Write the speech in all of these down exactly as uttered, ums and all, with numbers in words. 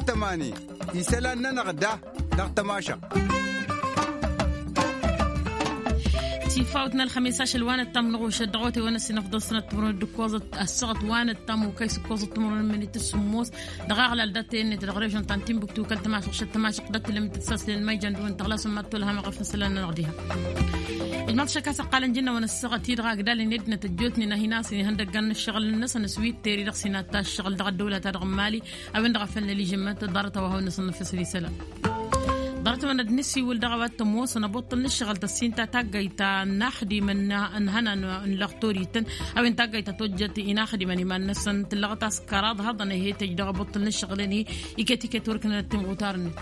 Tămani isălan-nănăɣ da dăɣ-tămašăɣt. Tifawt n-ălxămis ašăl wa n-ăttam n-ɣušăt dăɣ-otewăn ăssinăfḍăl sănăt timǝrwen d-ǝkkoẓăt ăssaɣăt wa n-ăttam okăy s-ǝkkoẓăt timǝrwen n-minit s-sǝmmos. Dăɣ-aɣlal dat-e-net dăɣ-režon ta n-timbuktu kăl-tămašăɣ šăt tămašăɣ dat-tǝlăm d-tǝssaslen măjjan d-wăn tăɣlasăm mad-tolhăm aɣăf n-isălan-nănăɣ diha. Ijmaḍ šăkk a-s ăqqalăn jǝnnăwăn ăssaɣăt-i-dăɣ agdal-in ăddinăt ăjjootnen a hin-asăn ihăndăggan n-ăššăɣǝl-năsăn s-wi t-teri dăɣ-sinat ta ăššăɣǝl dăɣ-ăddăwlăt-a-dăɣ n-mali. A-wen-dăɣ a făl năližămmăn-tăt ḍarăt a-wa hawăn-năsăn năfesăl isălan. Ḍarăt-wăn ad-nǝsiwǝl dăɣ-a-wa t-ămoosăn ăbuṭṭăl n-ǝššăɣǝl tăssin ta taggayt ta n-axdimăn n-ihănan n-lăxtor ităn. A-wen taggayt ta tojjăt inaxdimăn iman-năsăn tǝllăɣăt a-s kăraḍ hăḍăn ehe tăjj dăɣ-abuṭṭăl n-ǝššăɣǝl-en-hi. Iket-iket wăr ǝknănăt timɣutar-net.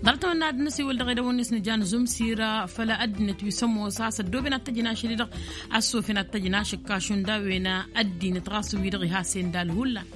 Ḍarăt-wăn ad-nǝsiwǝl dăɣ-edăwăn-net nǝjan zumsir făll-ăddinăt wi s-ămoos a-s ăddooben ad-tăjnašăl-i-dăɣ. A-s sofen ad-tăjnašăl kašund a-wen ăddinăt ɣas wi-dăɣ iha sendal hullan.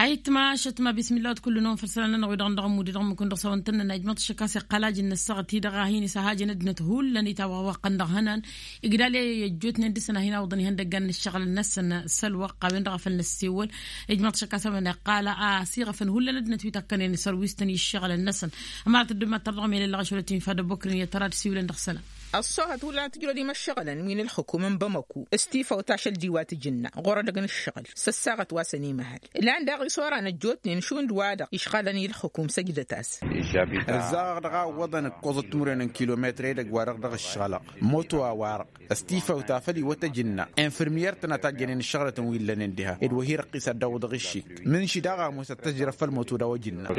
Ayǝtma ašăt ma bismillah wăt kull-năwăn făll-isălan-nănăɣ wi-dăɣ n-dăɣ ămmud-i-dăɣ ǝmmǝk-wăn dăɣ-s a-wa ǝntănnăn a ijmăḍ ašăk a-s iqqal ajǝnnă ăssaɣăt-i-dăɣ a hin-isăhajăn ăddinăt hullan itawăɣ wa ǝqqăn dăɣ-ihănan. Igdal i-ăjjootnen dăɣ-săn a hin-awǝḍăn ihăndăggan n-ǝššăɣǝlăn-năsăn s-ălwăqq a-wen-dăɣ a făl năssewăl. Ijmăḍ ašăk a-s a-wen iqqal a-s iɣăfăn hullan ăddinăt wi takkănen isărwistăn i-ǝššăɣǝlăn-năsăn. Ămărat ăddoomat tărdăɣăm i-lăllăɣ ašăl wa t-infa d-ăbokren i-tăra d-siwǝlăn dăɣ-isălan. Ăṣṣoohăt hullan a tǝjrăd imăššăɣǝlăn wi n-ălxukum n-bamăku s-tifawt ašăl d-iwa tǝjǝnna ɣur-edăgg n-ǝššăɣǝl s-ăssaɣăt wa s-ănimăhăl. Lan daɣ isoran ăjjootnen šund-wa-dăɣ išɣalăn i-ălxukum săjdăt-as. Ăzzaɣăɣ dăɣ-a ǝwwăḍăn ǝkkoẓăt timǝrwen n-kilometr edăgg-wa-dăɣ dăɣ-ǝššăɣǝlăɣ moto a-wa-dăɣ s-tifawt afăl iwăt ăjǝnna infirmiyăr-tăn a tajjănen ǝššăɣǝlătăn wi ǝllănen diha ed wa hi-răqqis ad-dd-awǝḍăɣ iššik. Mǝnši daɣ ămoos ad-tăjrăf făll-moto d-a-wa ăjǝnna.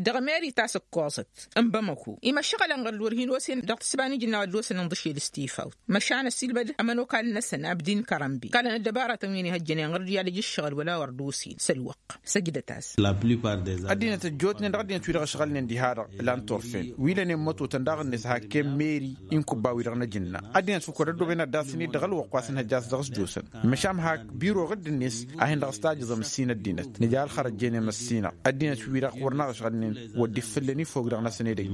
Dăɣ-meri ta s-ǝkkoẓăt n-bamăku imăššăɣǝlăn ɣur-dd wăr hin-osen dăɣ-tǝssǝba n-ijǝnna wa dd-osăn ǝnḍǝšel s-tifawt. Măšan ăssiilmăd ămănokal-năsăn abdin kărănbi kălăn ăddăbarătăn wi n-ihăjjănen ɣur-dd i-ad-ǝjǝššăɣǝl wăla wăr dd-osen s-ălwăqq. Săjdăt-as. Ăddinăt ăjjootnen dăɣ-ăddinăt wi-dăɣ ăšɣălnen diha-dăɣ. Lan turfen wi lănen mătotăn daɣ-net hakken meri inkubba-wi-dăɣ n-ajǝnna. Ăddinăt făkk wăr-ăddooben ad-dasăn-dd dăɣ-ălwăqq wa s-nǝhăjja a-s dăɣ-s dd-osăn. Măšan hak biro ɣǝdd-net a hin-dăɣ-s tajǝẓăm ǝssin ăddinăt nǝja ălxărăt jenem ăssinăɣ. Ăddinăt wi-dăɣ wăr năɣ ăšɣălnen wăr dd-ifǝllăn ifog-dăɣ-năsăn edăgg.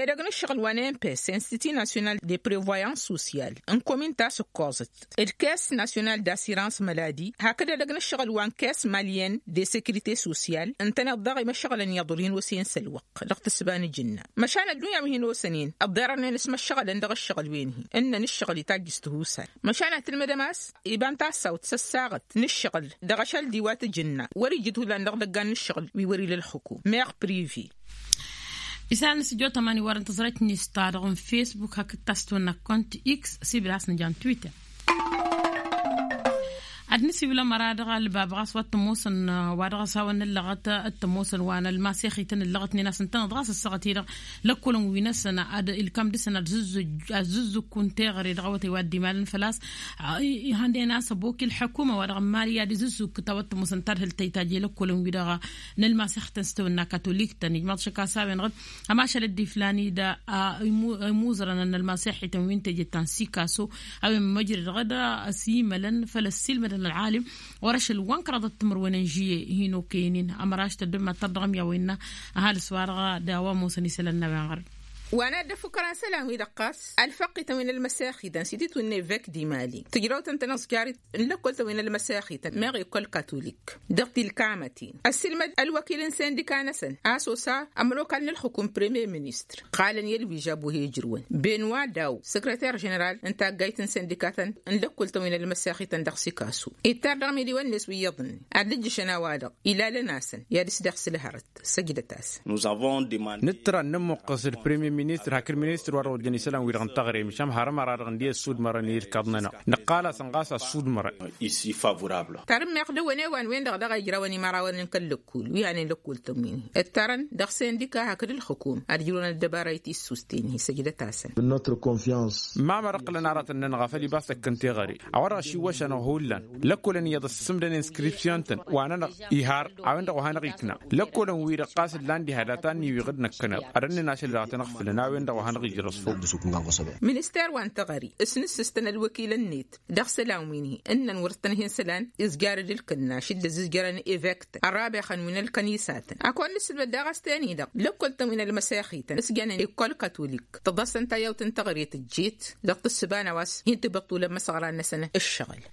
Edăgg n-ǝššăɣǝl wa n-empes institut national de prevoyance sociale n-komin ta s-ǝkkoẓăt d-caisse nationale d'assurance maladie hakd edăgg n-ǝššăɣǝl wa n-caisse malienne de sécurité sociale ǝntăneḍ daɣ imăššăɣǝlăn iyyăḍ wăr hin-osen s-ălwăqq. Dăɣ-tǝssǝba n-ijǝnna măšan ăddunya wi hin-osănen ăḍḍerănen s-imăššăɣǝlăn dăɣ-ǝššăɣǝl-wen-hi ǝnnăn ǝššăɣǝl itajj s-tihusal. Măšan ad-tǝlmǝdăm a-s iba n-tassawt s-ăssaɣăt n-ǝššăɣǝl dăɣ-ašăl d-iwa tǝjǝnna wăr-ijǝd hullan dăɣ-idăggan n-ǝššăɣǝl wi wăr-ila ălxǝkum meɣ privi. Isălan n-sǝjjo tămani wăren tăẓrăyt n-ista dăɣ-n facebook hakd ta s-tăwănna kont x s-ibla a-s nǝja n-twitter. Ad-nǝsiwǝl ămăra dăɣ-ălbab ɣas wa t-ămoosăn wa dăɣ-s hawăn-nǝllăɣăt t-ămoosăn wa n-ălmasexităn ǝllăɣătnen a-s ǝntăneḍ ɣas ăssaɣăt-i-dăɣ lăkkolăn wi-năsăn ad-ilkam dăɣ-săn ad-zǝzzǝkkun teɣăre dăɣ-awătay wa dd-imalăn făl-a-s. Ihănden a-s ăbok i-ălḥăkuma wa dăɣ-n mali ad-izǝzzǝkk ta wăr t-ămoosăn tadhǝlt ta itajj i-lăkkolăn-wi-dăɣ n-ălmasexităn s-tawănna katolik-tăn ijmaḍ šăkk a-s a-wen-dăɣ ămašal dd-iflan-dd imuzărăn n-ălmasexităn wi n-teje ta n-sikaso. A-wen măjrăd ɣǝd s-imălăn făll-ăssiilmădăn ălɣalim wăr-ašăl wa n-kăraḍăt timǝrwen n-žuye hin-okăyăn-in. Ămăraš tăddǝm ad-tărdăɣăm i-a-wa innă ăhalǝs-wa-dăɣ d-a-wa ămoosăn isălan n-a-wen ɣărăn. Wa n-ad-dd-ăfuk kăraḍ isălan-wi-dăɣ ɣas ălfăqqităn wi n-ălmăsexităn s-ititun n-evek d-imali tǝjrăwt ǝntăneḍ s-jarit n-lăkkol-tăn wi n-ălmăsexităn meɣ ekol katolik dăɣ-tilkamătin ăssiilmăd ălwăkil n-sindika-năsăn a-s osa ămănokal n-ălxukum premier ministăr ǝqqalăn i-ălwižab wa he-ijrǝwăn benwa daw săkrăter ženeral n-taggayt n-sindikatăn n-lăkkol-tăn wi n-ălmăsexităn dăɣ-sikasu ittar dăɣ-imiliwen-net wi iyyăḍnen ad-dd-ǝjjǝšăn a-wa-dăɣ ilalăn-asăn i-ad-ǝsdăɣ s-ǝlhărăt. Săjdăt-asăn. Nǝttăra ad-nǝmmuqqǝs d-premier ministăr hakd ministăr wa dăɣ-ojjăn isălan-wi-dăɣ n-taɣre măšan har ămăra-dăɣ ǝndi ăssudmărăn i-ǝlkaḍ-nănăɣ nǝqqal-asăn ɣas a ăssudmărăn. Tarǝmmeɣ dăɣ-wăn ewan-wen-dăɣ daɣ a ijrawăn imărawăn n-kăl-lăkkul wi hanen lăkkul-tăn wi-ni ǝttărăn dăɣ-sindika hakd ǝlxǝkum ad-ǝjrǝwăn ăddăbara i-tissusten-hi săjdăt-asăn. Mamăr ǝqqǝlăn aratăn-nănăɣ a făl iba s-tăkkăn teɣăre a-wa-dăɣ ăšiwwăš-anăɣ hullan lăkkolăn iyyăḍ ăssǝmdăn inskripsyon-tăn wa-nănăɣ ihar a-wen-dăɣ wa hanăɣ-ikna lăkkolăn-wi-dăɣ ɣas ǝllan diha data-ni wi ɣǝd-năkkăneḍ ad-ănnăn ašăl-i-dăɣ a tăn-ăɣfǝlăn a-wen-dăɣ wa hanăɣ-ijrăẓ făw. Minister wa n-teɣăre s-nǝssǝstăn ălwăkilăn-net dăɣ-isălan wi n-hi ǝnnăn wăr tăn-hin isălan izjarăd ǝlkǝnna šidda ăzizjărăn evek-tăn ărrabexăn wi n-ălkănisatăn ad-kăwăn-nǝssǝlmăd daɣ a-s ten-i-dăɣ lăkkol-tăn wi n-ălmăsexităn s-jănen ikkol katolik tăḍasăn tayyawt n-teɣăre tǝjjet dăɣ-tǝssǝba n-a-wa s-hin-tǝbăṭṭulăn imăsăɣran-năsăn ǝššăɣǝl.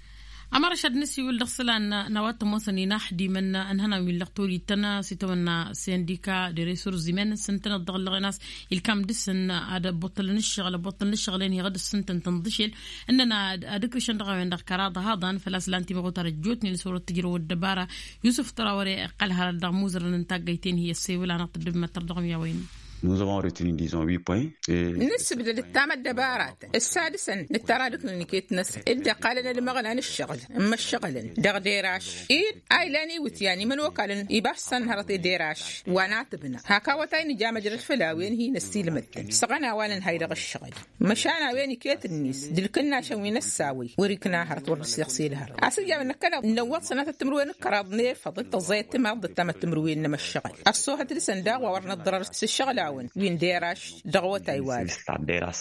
Ămărăš ad-nǝsiwǝl dăɣ-isălan n-a-wa t-ămoosăn inaxdimăn n-ihănan wi n-lăqtol ittăn s-itawănna sindika de resurs imăn s-ǝntăneḍ dăɣ-ǝllăɣen a-s ilkam dăɣ-săn ad-ăbbuṭṭălăn ǝššăɣǝl ăbbuṭṭălăn ǝššăɣǝl-en hi-iɣǝd s-ǝntăn tǝnḍǝšel. Ǝnnăn ad-ǝkrǝšăn dăɣ-a-wen-dăɣ kăraḍ ăhaḍăn făl-a-s lan timăɣutăr ăjjootnen s-wăr-ăttǝjrăw ăddăbara. Yusǝf tăra wăr-e ăqqăl hărăt dăɣ-imuzărăn n-taggăyt-en hi-ăssewăl-anăɣ tăddăbmăttăr dăɣ-mi a-wen. Nǝsǝbdăd ǝttam ăddăbaratăn ǝssa dăɣ-săn nǝttăra dăɣ-nǝnǝket-năsăn dd-ăqqalăn ad-imăɣlan ǝššăɣǝl n-imăššăɣǝlăn dăɣ-deraš-i. A ilan iwǝtyan imănokalăn ibafsăn hărăt i-deraš wa n-atǝbna hak awătay nǝja măjrăd făll-a-wen hi-năssiilmăd-tăn săɣăn a-wa nǝnhay dăɣ-ǝššăɣǝl. Măšan a-wen iket-net d-ǝlkǝnnašăn wi n-ăssawăy wăr-ikna hărăt wăr dăɣ-s iɣsel hărăt a-s ǝjabăn năkkăneḍ n-ăwwăḍ sănatăt timǝrwen n-kăraḍ n-efăḍ d-tăẓẓayăt timăḍ d-ăttamăt timǝrwen n-emăššăɣǝl ăṣṣoohăt dăɣ-săn daɣ wa wăr nǝḍḍărăr s-ǝššăɣǝl-awăn wi n-deraš. Dăɣ-awătay wa-dăɣ.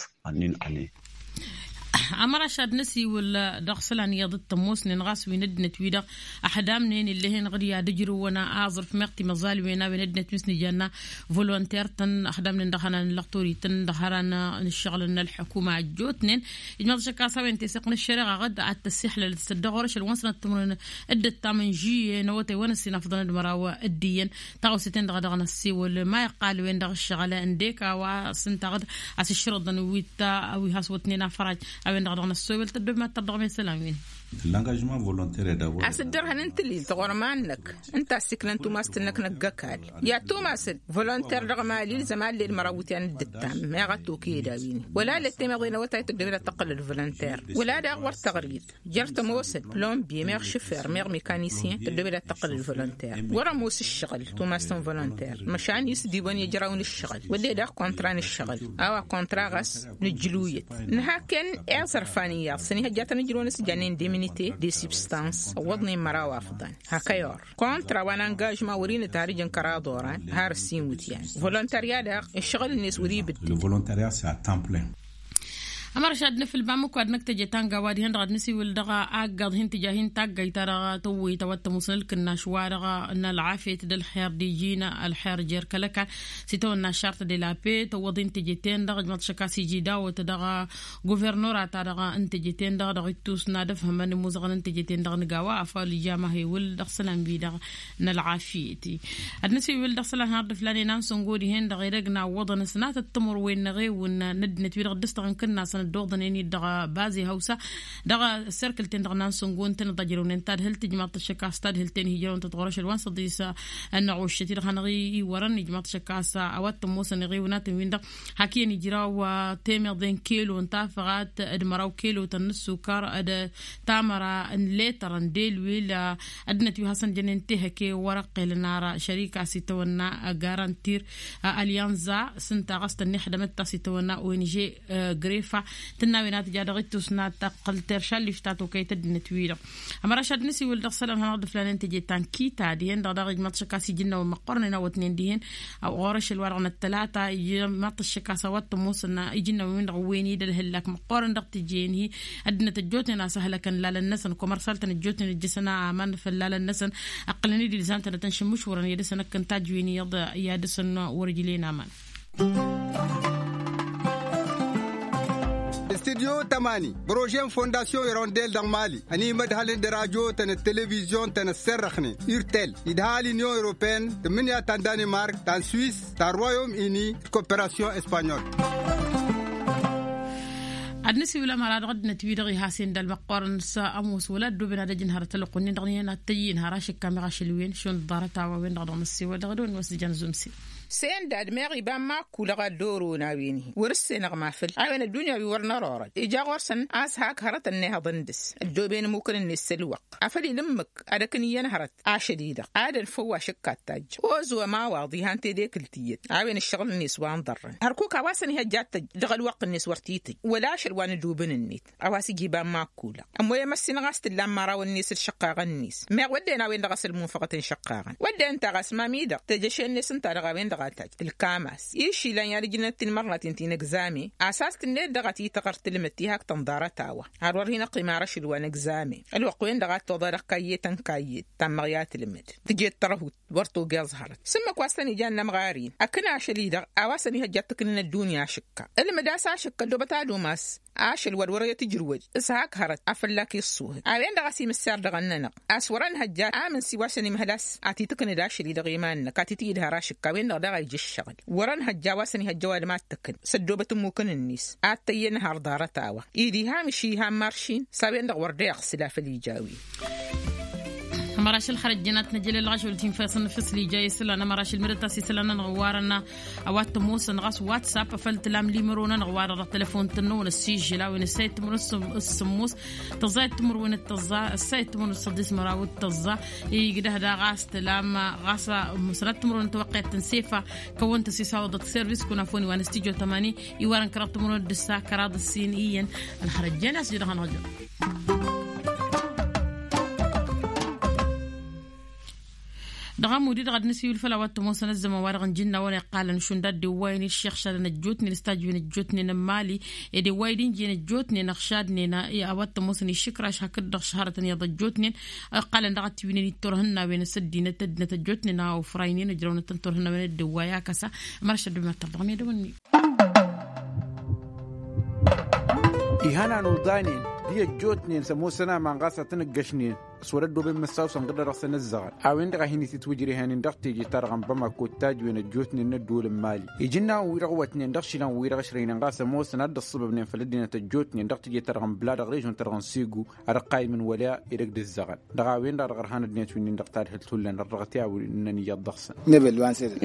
Ămăraš ad-năsiwǝl dăɣ-isălan iyyăḍ d-tămoosnen ɣas wi n-ăddinăt-wi-dăɣ ăxdamnen ill'-e-hen ɣǝd i-ad-ǝjrǝwăn aẓrǝf meɣ timăẓalwen a-wen ăddinăt wi s-nǝjanna volonter-tăn ăxdamnen dăɣ-ihănan n-lăqtor-ităn dăɣ-hărăn n-ǝššăɣǝl n-ălḥukuma ăjjootnen. Ijmăḍ ašăk a-s a-wen teseɣt n-ăššăreɣa ɣǝd ad-tăssixlălăt s-dd-ăɣorăšăl wa n-sănăt timǝrwen dd-ǝttam n-žiyye n-awătay wa n-ăssinafḍăn d-măraw d-iyyăn. Taɣăwse-ten-dăɣ a dăɣ-năssewăl ma iqqal-wen-dăɣ ǝššăɣǝl ǝndek a-wa s-ǝnta ɣǝd a-s ǝššărǝḍăn wi t-a wi has-wătnen afăraj. A-wen-dăɣ a dăɣ-năssewăl tăddobem ad-tăr dăɣ-mesălan-win. L-engagement volontaire d-a-s dd-ărhăn n-tǝlil tăɣorman-năk ǝnta a ăssiklăn tumast-năk n-ăgg-ăkall i-ad-tumasăd volonter dăɣ-emali ilzăm ad-led măraw iwǝtyan dd-ǝttam meɣ ad-toked a-win-i wăla led temeḍe n-awătay tăddobed ad-tăqqǝlăd volonter wăla daɣ wăr tăɣrid jer-tămoosăd plombier meɣ šufer meɣ mekanisyen tăddobed ad-tăqqǝlăd volonter. Wăr-ămoos ǝššăɣǝl tumasăn volonter măšan isdibăn i-ăjraw n-ǝššăɣǝl wădden daɣ kontra n-ǝššăɣǝl. A-wa kontra ɣas nǝjjǝluyăt nǝhaken i-aẓrǝfan iyyăḍ s-ănihăjjatăn ǝjrǝwăn s-ǝjjannen deminite de substans ăwwăḍnen măraw afḍăn. Hak ăyor kontra wa n-angažma wăr-inǝtharǝjăn kăraḍ oran har ǝssin iwǝtyan. Volontarya daɣ ǝššăɣǝl-net wăr-ibǝddǝl. Ămărăš ad-nǝfǝl bamǝkwa d-năkk teje tanga wa dihen-dăɣ ad-nǝsiwǝl dăɣ-aggaḍ hin-tǝja hin-taggayt-ta-dăɣ tăwwăyt a-wa t-ămoosăn ǝlkǝnnaš-wa-dăɣ n-ălɣafyăt d-ălxer d-iji n-ălxer jer-kăl-ăkall. S-itawănna šart de la paix tăwwăḍ hin-teje-ten-dăɣ ǝjmăḍ šăkk a-s iji dawăt dăɣ-guvernora-ta-dăɣ n-teje-ten-dăɣ dăɣ-ittus n-ad-ăfhămăn imuzăɣăn n-teje-ten-dăɣ nǝga wa afăl ija ma hewǝl dăɣ-isălan-wi-dăɣ n-ălɣafyăt. Ad-nǝsiwǝl dăɣ-isălan har d-ǝflanen a n-săngo dihen-dăɣ edăgg n-awwăḍăn s-natăt timǝrwen n-eɣewǝn n-ăddinăt wi-dăɣ dd-ăstăɣăn kǝnnasăn ăddoḍănen-dd dăɣ-baze hawsa dăɣ-serkǝl-ten-dăɣ n-ansăngo ǝntăneḍ a ǝjrăwnen tadhǝlt ǝjmaḍ-t ăššăk a-s tadhǝlt-en hi-ǝjrăwăn tătɣurăšăl wa n-săḍis ănnăɣuššăt-i-dăɣ hanăɣ-iwărăn ijmaḍ-t ašăk a-s a-wa t-ămoosăn eɣewǝn a tăn-win-dăɣ hak iyyăn ijraw temăḍe n-kelo n-tafăɣat d-măraw kelo tăn-nǝssukăr d-tamăra n-letăr n-delwil. Ăddinăt wi hasăn-jănen tehăke wăr-ăqqelăn ara šărika a-s itawănna garantir alyanza s-ǝnta ɣas tănnixdămăt ta s-itawănna ong grefa tǝnna-wen ad-tǝja dăɣ-ittus n-ad-tăqqǝl teršallif ta tokăyăt ăddinăt-wi-dăɣ. Ămăraš ad-nǝsiwǝl dăɣ-isălan hanăɣ-dd-ǝflanen teje tankita dihen-dăɣ daɣ ijmaḍ-t ašăk a-s iji n-awăn măqqoorăn inawătnen dihen ɣur-ašăl wa-dăɣ n-ăttălata ijmaḍ-t ašăk a-s a-wa t-ămoosăn iji n-awăn-win-dăɣ ǝwwen-i d-ălhǝllak măqqoorăn dăɣ-tǝjen-hi. Ăddinăt ăjjootnen a-s ăhlăkăn lalăn-năsăn komersaltăn ăjjootnen ǝjjǝsăn aman făll-lalăn-năsăn ǝqqǝlăn-dd ilzam-tănăt n-šǝmmǝšwărăn i-ad-dăɣ-săn ǝkkăn tajwen iyyăḍ i-ad-dăɣ-săn wăr-ǝjlen aman. Studyo tămani prože n-fondasyon irondel dăɣ-mali ănimădhălăn d-radyo-tăn d-televizyon-tăn ăssărrăxnen urtel idha l-inyon europene tǝmmǝnǝya ta n-danimark ta n-swis ta n-royom ini d-koperasyon espanyol. Ad-nǝsiwǝl ămăra dăɣ-ăddinăt-wi-dăɣ ihasen d-ălmăqqoorăn s-ămoos wăla ăddooben ad-ăjǝn hărăt ălwăqq-wǝnnin-dăɣ n-iyyăn ad-t-ăyyin har ašǝkka meɣ ašăl wen šund ḍarăt a-wa-wen-dăɣ dăɣ-nǝssewăl dăɣ-dăɣ-wen wa s-ǝjăn zumse. Sendad meɣ iba n-makkul ăɣador-on a-wen-hi wăr-ǝssenăɣ mafăl a-wen ăddunya wi wăr nărorăd ija ɣur-săn a-s hak hărătăn n-ehăḍăn dăɣ-s ăddooben ămmukăn-net s-ălwăqq afăl ila ǝmmǝk ad-ăknǝyyăn hărăt ašăl-i-dăɣ ad-ănfăw ašǝkka ăttajj ozo ămawaḍ ihan tedekǝlt iyyăt a-wen ǝššăɣǝl-net wa n-ḍărrăn hărkuk a-wa s-ănihăjja ad-tăjj dăɣ-ălwăqq-net wăr t-tǝjj wăla ašăl wa n-ădubǝn-net. A-wa s-ija iba n-makkul ămmoyăm ăssinăɣ a-s t-tǝllan mărawăn-net d-išăqqaɣăn-net meɣ wădden a-wen-dăɣ a-s ălmunfăɣăt n-išăqqaɣăn wădden ǝnta ɣas mamidăɣ tejăše-net ǝnta dăɣ-a-wen-dăɣ. tăqqatăj tǝlkam-as išilan i-ad-ǝjnăt tinmărnaten ti n-egzame. A-s a-s tǝnned dăɣ-a tităɣăr tǝlmǝd ti hak tănḍarăt a-wa har wăr hin-ăqqim ara ašăl wa n-egzame. Ălwăqq-wen-dăɣ a t-oḍa dăɣ-kayyet n-kayyet tammăɣ i-ad-tǝlmǝd tǝjet tărhut wăr togeẓ hărăt s-ǝmmǝk wa s-tăn-ijan n-ămɣar-in. Ăkn ašăl-i-dăɣ a-wa s-ănihăjja ad-t-ǝknen ăddunya ašǝkka ǝlmǝd a-s ašǝkka ăddoobăt ad-umas ašăl wa d-wăr-e tǝjrǝwăj s-hak hărăt a fălla-k iṣṣuhǝd. A-wen-dăɣ a-s imǝssar dăɣ-ănnănăɣ a-s wăr-ănhăjja amǝnsi wa s-ănimhăl a-s ad-t-itǝknǝd ašăl-i-dăɣ iman-năk ad-t-itǝyǝd har ašǝkka a-wen-dăɣ daɣ a ija ǝššăɣǝl. Wăr-ănhăjja a-wa s-ănihăjja ăwadǝm ad-t-ǝkǝn s-ăddoobăt ǝmmukăn-net ad-t-ăyyăn har ḍarăt a-wa. Id' iham iši iham maršin s-a-wen-dăɣ wăr dd-eɣsǝl afăl ija a-wen. Ămăraš ălxărăt jăn ad-t-năjăl ălɣaš wăr t-infăsăn făsli ja isălan ămăraš ălmădăt a-s isălan-nănăɣ ăwarăn a-wa t-ămoosăn ɣas whatsapp afăl tǝlam limăro-nănăɣ wa-dăɣ dăɣ-telăfon-tăn-năwăn ăssižžǝl a-wen ăssayăt timǝrwen s-sǝmmos tăẓẓayăt timǝrwen d-tăẓẓa ăssayăt timǝrwen s-săḍis măraw d-tăẓẓa. Igdăh daɣ a-s tǝlam ɣas măsnăt timǝrwen n-tawăqqet n-sefa. Kăwăn-tăsisawăḍăt service kunafoni wa n-stijo tămani iwarăn kăraḍ timǝrwen d-ǝssa kăraḍ ǝssin iyyăn. Ălxărăt jăn a-s jădăɣ-anăɣ jădăɣ. Dăɣ-amud-i-dăɣ ad-nǝsiwǝl făll-a-wa t-ămoosăn ăzzăman-wa-dăɣ n-ijǝnnawăn iqqalăn šund ad-dd-iwwayăn iššixšadăn ăjjootnen s-tajǝwen ăjjootnen n-imali. Ed iwway d-injǝyăn ăjjootnen ăɣšadnen a-wa t-ămoosăn išǝkraš hakd-dăɣ šăhrătăn iyyăḍ ăjjootnen. Iqqalăn daɣ ad-t-iwǝynen i-turhǝnnawen s-ăddinăt ăddinăt ăjjootnen a ofraynen ǝjrăwnăt-tăn turhǝnnawen ad-dd-iwway akăsa. Măraš ad-dd-imatăr dăɣ-medăwăn-nin. Ihănan uḍanen di-ăjjootnen s-ămoosăn aman ɣas ad-tăn-ǝggăšnen s-wăr-ăddooben măssaw-săn ɣǝdda dăɣ-săn ǝzzăɣăl. A-wen-dăɣ a hin-itǝtwǝjrehăn-in dăɣ-teje-ta-dăɣ n-bamako d-tajǝwen ăjjootnen n-ădduul n-imali ijǝnnawăn-wi-dăɣ ăwwătnen dăɣ-išilan-wi-dăɣ ǝšrăynen ɣas ămoosăn ad-dd-ăṣṣăbăbnen făll-ăddinăt ăjjootnen dăɣ-teje-ta-dăɣ n-bla dăɣ-režon-ta-dăɣ n-segu ad-ăqqaymǝn wăla edăgg d-ǝzzăɣăl. Dăɣ-a-wen-dăɣ a dăɣ-ărhan ăddinăt wi-nin-dăɣ tadhǝlt hullan ărrăɣăt i-a-wen ǝnnăn iyyăḍ dăɣ-săn.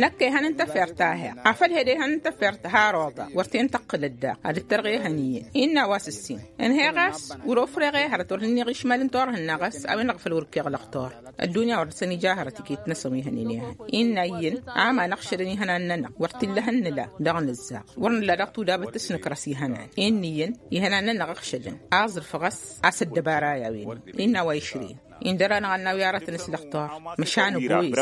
Năkk ehăn n-tafert a heɣ afăl hed ehăn n-tafert har oḍa wăr ten-tăqqǝlăt daɣ ad-dd-tărɣ ehăn iyyăn innă a-wa s-ǝssin. Ǝnheɣ a-s wăr-ofreɣ ehărăt wăr hin-iɣ išmal n-turhǝnna ɣas a-wen-dăɣ făl wăr ǝkkeɣ lăxtur. Ăddunya wăr dăr-săn ija hărăt iket-năsăn wi hănen ehăn innă iyyăn. Aman ăɣšădăn ihănan-nănăɣ wăr t-illa hăn nǝla dăɣ-nǝzzaɣ wăr nǝlla daɣ tudabăt s-nǝkrăs ihănan. Innă iyyăn ihănan-nănăɣ ăɣšădăn aẓrǝf ɣas a-s ăddăbara i-a-wen. Innă a-wa išrǝyăn indăr-anăɣ ad-nawi aratăn s-lăxtur. Măšan ăgg-wes.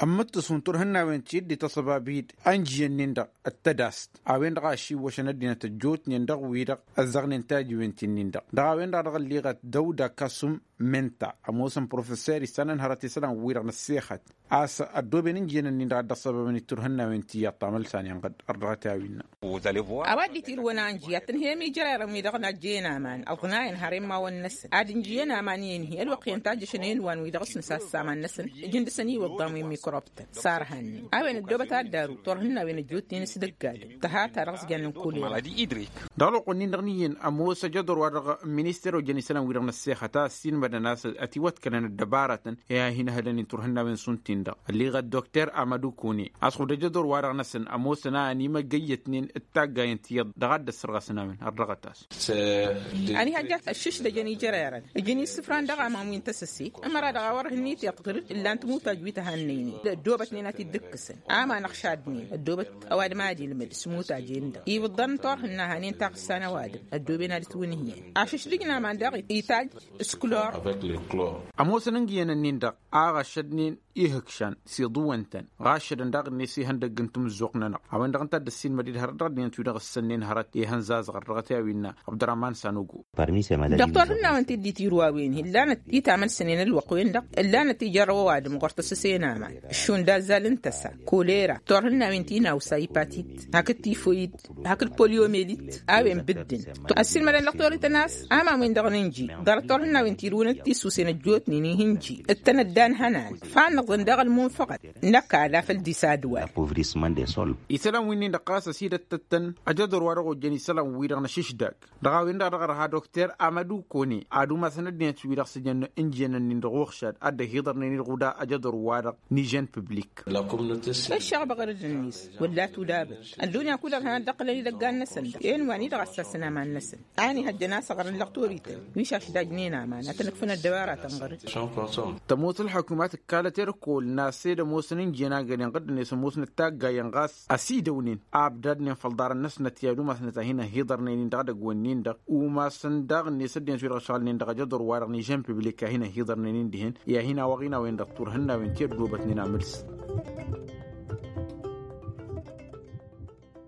Ămmǝttǝs wi n-turhǝnnawen ti dd-ităṣăbab-dd ănjǝyăn-nin-dăɣ d-tădast a-wen-dăɣ a ăšiwwăšăn ăddinăt ăjjootnen dăɣ-wi-dăɣ ăzzăɣnen tajǝwen-ti-nin-dăɣ. Dăɣ-a-wen-dăɣ a dăɣ-ălleɣăt dăwda kasum menta ămoosăn professer issanăn hărăt isălan-wi-dăɣ n-ăssexăt a-s ăddooben ǝnjǝyăn-nin-dăɣ a dd-ăṣṣăbăbăn i-turhǝnnawen ti iyyăḍ tamălsa-nen ɣǝd ărdăɣăt i-a-wi innă. A-wa dd-itirǝwăn a ǝnjǝy ad-tǝnhăyăm ijărerăn-wi-dăɣ n-ajjăyăn aman ăḍnayăn har immawăn-năsăn ad-ǝnjǝyăn aman i-inhi ălwăqq-i ăntajjăšăn i-inwan-wi-dăɣ s-nǝsassa aman-năsăn. Ǝjǝn dăɣ-săn iwǝḍḍan wi n-mikrop-tăn s-arhan-nin a-wen ăddoobăt ad-daru turhǝnnawen ăjjootnen s-dăgg-adǝm tăha ta dăɣ-s jannen kulera. Dăɣ-ălwăqq-nin-dăɣ n-iyyăn ămoos ajăḍur-wa-dăɣ n-minister wa ojăn isălan-wi-dăɣ n-ăssexăt a ăssiinmădăn a-s ătiwăḍkălăn ăddăbarătăn i-ad-hin-ăhălăn i-turhǝnnawen šund-tin-dăɣ ălleɣăt dokter amădu kune. A-s ɣud ajăḍur-wa-dăɣ-năsăn ămoosăn a ănimăggăyyătnen d-taggay n-tiyyăḍ dăɣ-ad-dd-ăssărɣăsăn a-wen ărdăɣăt-as. Ănihăjja ăššǝšdăjăn ijărerăn ǝjǝn isǝfran dăɣ-aman wi n-tăsăse. Ămăra-dăɣ a wăr hǝnnit iḍkăr-dd ǝllan tǝmutaj wi tăhannăynen ăddoobătnen ad-t-dd-ǝkkǝsăn. Aman ăɣšadnen ăddoobăt ăwadǝm ad-ilmǝd s-imutaj-en-dăɣ iwǝḍḍan n-turhǝnna hanen taɣǝssa n-ăwadǝm ăddooben ad-ǝtwǝnhǝyăn. Ašǝšdǝj n-aman daɣ itaj s-klor. Ămoosăn ǝnjǝyăn-nin-dăɣ a ɣašădnen ihǝkšan s-iḍǝwăn-tăn ɣašădăn daɣ-net ihăndăgg n-timǝzzuɣt-nănăɣ. A-wen-dăɣ ǝnta a dd-ăssiinmăd-dd hărăt dăɣ-ăddinăt-wi-dăɣ ǝssănnen hărăt ihăn zazăɣ ărrăɣăt i-a-wi innă abdărrăman sanugo. Dăɣ-turhǝnnawen ti dd-itirǝw a-wen-hi ǝllanăt itamălsănen ălwăqq-wen-dăɣ ǝllanăt ijărrăw ăwadǝm ɣur-tăsǝse n-aman. Šund azzal n-tăsa kolera turhǝnnawen ti n-awsa ipatit hakd tifoyid hakd poliomelit. A-wen bǝddǝn ăssiilmădăn lăqtorităn a-s aman-wen-dăɣ n-inji ḍarăt turhǝnnawen tirǝwăn d-tisusen ăjjootnen ih'-inji d-tăn-ăddan hănan. Fannăḍăn daɣ ălmunfăɣăt n-ăkall afăl disadwal. Isălan wi-nin-dăɣ ɣas ăsidăttăt-tăn ajăḍur-wa-dăɣ ojjăn isălan-wi-dăɣ n-ašǝšdag. Dăɣ-a-wen-dăɣ dăɣ-ărha dokter amădu kone ad-umasăn ăddinăt-wi-dăɣ s-ǝjăn injăyăn-nin-dăɣ uɣšad ad-dd-ăhiḍărnen-dd ɣuda ajăḍur-wa-dăɣ n-ižăn piblik. Ăššăɣbăɣ rǝd-net wălla tudabăt ăddunya kull ărhan ad-dd-ăqqǝlăn idăggan-năsăn-dăɣ. Enwa-ni-dăɣ ăssasăn aman-năsăn a ănihăjjăn a-s ăɣrǝn lăqtorităn wi šašdajnen aman ad-tăn-ǝkfǝn ăddăbaratăn ɣăr-dd. Tămoos ălḥukumat ǝkkalăt erkol n-ased ămoosăn ǝnjǝyăn agălen ɣǝddǝnet ămoosnăt taggayen ɣas ăsidăwnen a ăbdadnen făll-iḍarăn-năsnăt i-ad-umasnăt a hin-ăhiḍărnen-in dăɣ-edăgg-wen-nin-dăɣ umasăn daɣ-net ăddinăt wi-dăɣ ǝšɣǝlnen dăɣ-ajăḍur-wa-dăɣ n-ižăn piblik a hin-ăhiḍărnen-in dihen i-ad-hin-awăɣ-in a-wen-dăɣ turhǝnnawen ti ăddoobătnen amǝls.